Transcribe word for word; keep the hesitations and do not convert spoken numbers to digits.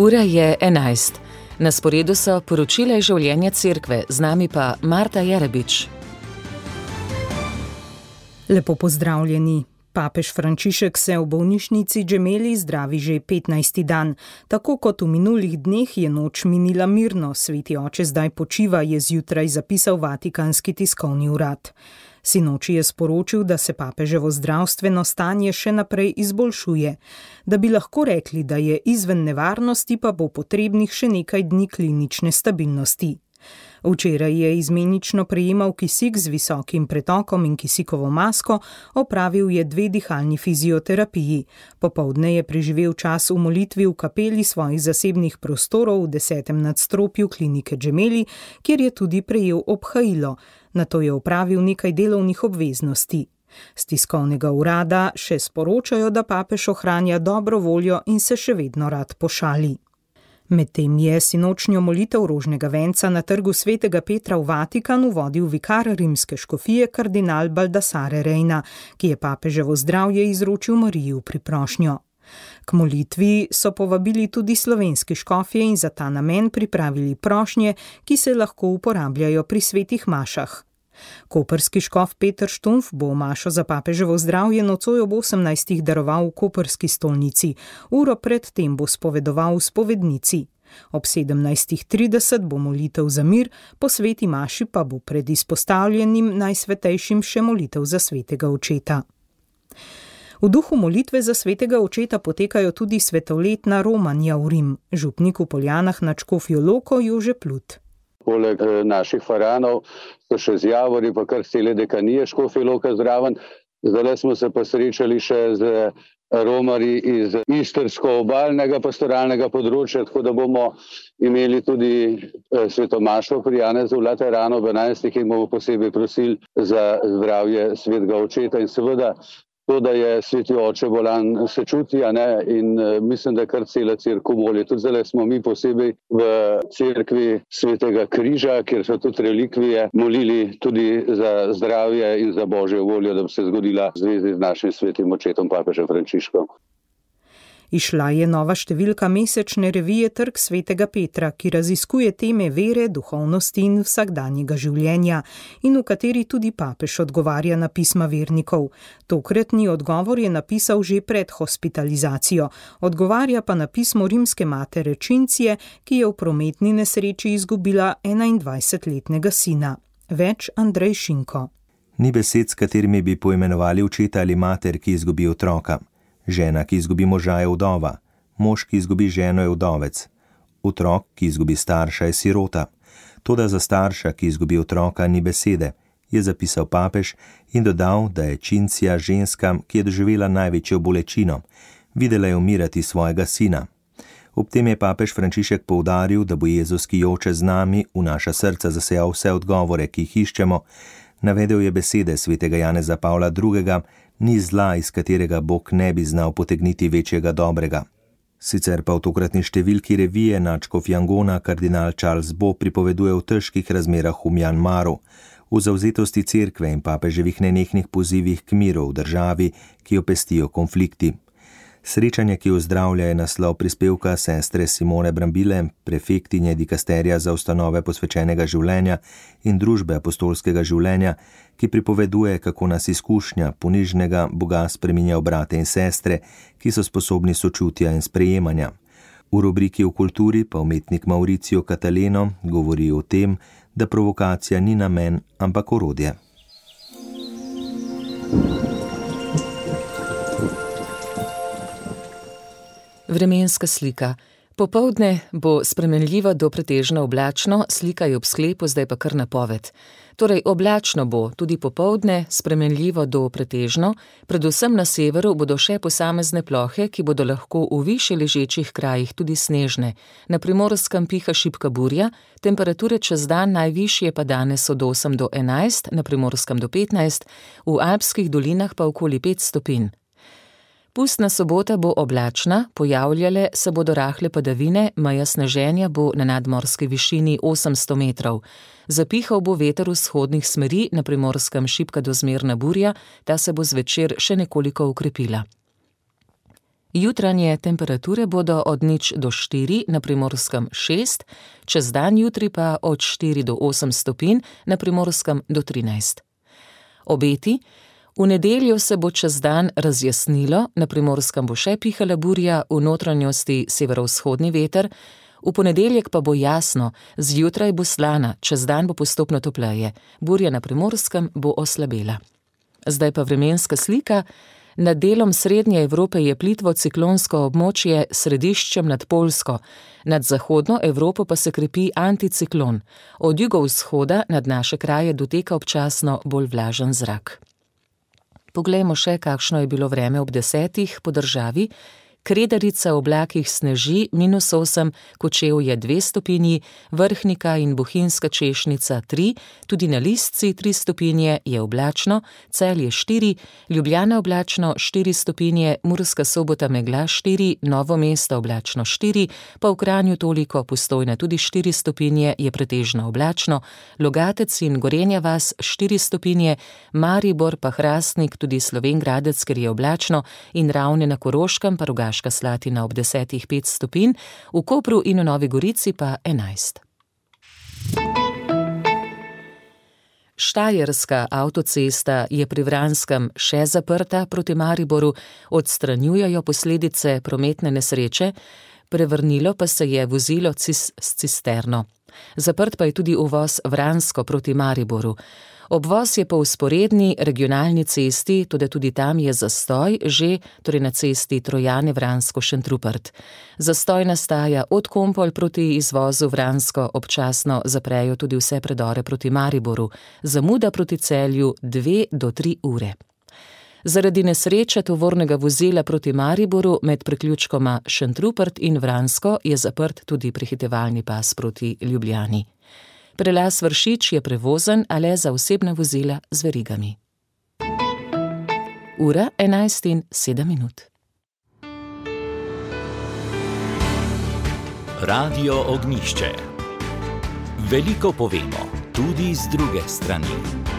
Ura je enajst. Na sporedu so poročila iz življenja cerkve, z nami pa Marta Jerebič. Lepo pozdravljeni. Papež Frančišek se v bolnišnici Gemelli zdravi že petnajsti dan. Tako kot v minulih dneh je noč minila mirno, sveti oče zdaj počiva, je zjutraj zapisal Vatikanski tiskovni urad. Sinoči je sporočil, da se papeževo zdravstveno stanje še naprej izboljšuje. Da bi lahko rekli, da je izven nevarnosti, pa bo potrebnih še nekaj dni klinične stabilnosti. Včeraj je izmenično prejemal kisik z visokim pretokom in kisikovo masko, opravil je dve dihalni fizioterapiji. Popoldne je preživel čas v molitvi v kapeli svojih zasebnih prostorov v desetem nadstropju klinike Gemelli, kjer je tudi prejel obhajilo. Nato je opravil nekaj delovnih obveznosti. Z tiskovnega urada še sporočajo, da papež ohranja dobro voljo in se še vedno rad pošali. Medtem je sinočnjo molitev rožnega venca na trgu svetega Petra v Vatikanu vodil vikar rimske škofije kardinal Baldassare Reina, ki je papeževo zdravje izročil Mariji v priprošnjo. K molitvi so povabili tudi slovenski škofje in za ta namen pripravili prošnje, ki se lahko uporabljajo pri svetih mašah. Koprski škof Peter Štumf bo mašo za papeževo zdravje nocoj ob osemnajstih daroval v koprski stolnici. Uro pred tem bo spovedoval v spovednici. Ob sedemnajstih trideset bo molitev za mir, po sveti maši pa bo pred izpostavljenim najsvetejšim še molitev za svetega očeta. V duhu molitve za svetega očeta potekajo tudi svetoletna romanja v Rim. Župnik v Poljanah nad Škofjo Loko Jože Plut. Poleg naših faranov so še z Javori, pa kar cele dekanije Škofje Loka zraven. Zdaj smo se pa srečali še z romarji iz istrsko-obalnega pastoralnega področja, tako da bomo imeli tudi svetomašo pri Janezu v Lateranu ob enajstih in bomo posebej prosili za zdravje svetega očeta in seveda to, da je sveti oče bolan, se čuti, a ne, in mislim, da kar cela cerkev moli. Tudi zdaj smo mi posebej v cerkvi svetega križa, kjer so tudi relikvije, molili tudi za zdravje in za božjo voljo, da bi se zgodila v zvezi z našim svetim očetom papežem Frančiškom. Išla je nova številka mesečne revije Trg svetega Petra, ki raziskuje teme vere, duhovnosti in vsakdanjega življenja in v kateri tudi papež odgovarja na pisma vernikov. Tokratni odgovor je napisal že pred hospitalizacijo, odgovarja pa na pismo rimske matere Cincije, ki je v prometni nesreči izgubila enaindvajsetletnega sina. Več Andrej Šinko. Ni besed, s katerimi bi poimenovali očeta ali mater, ki izgubi otroka. Žena, ki izgubi moža, je vdova. Mož, ki izgubi ženo, je vdovec. Otrok, ki izgubi starša, je sirota. Toda za starša, ki izgubi otroka, ni besede, je zapisal papež in dodal, da je Cincija ženska, ki je doživela največjo bolečino. Videla je umirati svojega sina. Ob tem je papež Frančišek poudaril, da bo Jezus, ki joče z nami, v naša srca zasejal vse odgovore, ki jih iščemo. Navedel je besede svetega Janeza Pavla drugega, ni zla, iz katerega Bog ne bi znal potegniti večjega dobrega. Sicer pa v tokratni številki revije nadškof Jangona kardinal Charles Bo pripoveduje o težkih razmerah v Mjanmaru, v zavzetosti cerkve in papeževih nenehnih pozivih k miru v državi, ki jo pestijo konflikti. Srečanje, ki ozdravlja, je naslov prispevka sestre Simone Brambile, prefektinje dikasterija za ustanove posvečenega življenja in družbe apostolskega življenja, ki pripoveduje, kako nas izkušnja ponižnega Boga spreminja v brate in sestre, ki so sposobni sočutja in sprejemanja. V rubriki o kulturi pa umetnik Mauricio Cataleno govori o tem, da provokacija ni namen, ampak orodje. Vremenska slika. Popoldne bo spremenljivo do pretežno oblačno, slika je ob sklepu, zdaj pa kar napoved. Torej oblačno bo tudi popoldne, spremenljivo do pretežno, predvsem na severu bodo še posamezne plohe, ki bodo lahko v višje ležečih krajih tudi snežne. Na Primorskem piha šibka burja, temperature čez dan najvišje pa danes od osem do enajst, na Primorskem do petnajst, v alpskih dolinah pa okoli pet stopinj. Pustna sobota bo oblačna, pojavljale se bodo rahle padavine, meja sneženja bo na nadmorski višini osemsto metrov. Zapihal bo veter vzhodnih smeri, na Primorskem šibka do zmerna burja, ta se bo zvečer še nekoliko ukrepila. Jutranje temperature bodo od nič do štiri, na Primorskem šest, čez dan jutri pa od štiri do osem stopinj, na Primorskem do trinajst. Obeti: v nedeljo se bo čez dan razjasnilo, na Primorskem bo še pihala burja, v notranjosti severovzhodni veter, v ponedeljek pa bo jasno, zjutraj bo slana, čez dan bo postopno topleje, burja na Primorskem bo oslabela. Zdaj pa vremenska slika. Nad delom srednje Evrope je plitvo ciklonsko območje s središčem nad Poljsko, nad zahodno Evropo pa se krepi anticiklon, od jugovzhoda nad naše kraje doteka občasno bolj vlažen zrak. Poglejmo še, kakšno je bilo vreme ob desetih po državi. Kredarica v oblakih sneži minus osem, Kočevje dve stopinji, Vrhnika in Bohinjska Češnica tri, tudi na Listci tri stopinje je oblačno, Celje štiri, Ljubljana oblačno štiri stopinje, Murska Sobota megla štiri, Novo mesto oblačno štiri, pa v Kranju toliko, Postojna tudi štiri stopinje je pretežno oblačno, Logatec in Gorenja vas štiri stopinje, Maribor pa Hrastnik, tudi Slovenj Gradec, ker je oblačno, in Ravne na Koroškem pa Rogaška Slatina ob desetih pet stopinj, v Kopru in v Novi Gorici pa enajst. Štajerska avtocesta je pri Vranskem še zaprta proti Mariboru, odstranjujejo posledice prometne nesreče, prevrnilo pa se je vozilo cis s cisterno. Zaprt pa je tudi uvoz Vransko proti Mariboru. Obvoz je po vzporedni regionalni cesti, tudi tudi tam je zastoj, že torej na cesti Trojane Vransko-Šentrupert. Zastoj nastaja od Kompolj proti izvozu Vransko, občasno zaprejo tudi vse predore proti Mariboru, zamuda proti Celju dve do tri ure. Zaradi nesreče tovornega vozila proti Mariboru med priključkoma Šentrupert in Vransko je zaprt tudi prehitevalni pas proti Ljubljani. Prelaz Vršič je prevozen, a le za osebna vozila z verigami. Ura enajst in sedem minut. Radio Ognjišče. Veliko povemo, tudi z druge strani.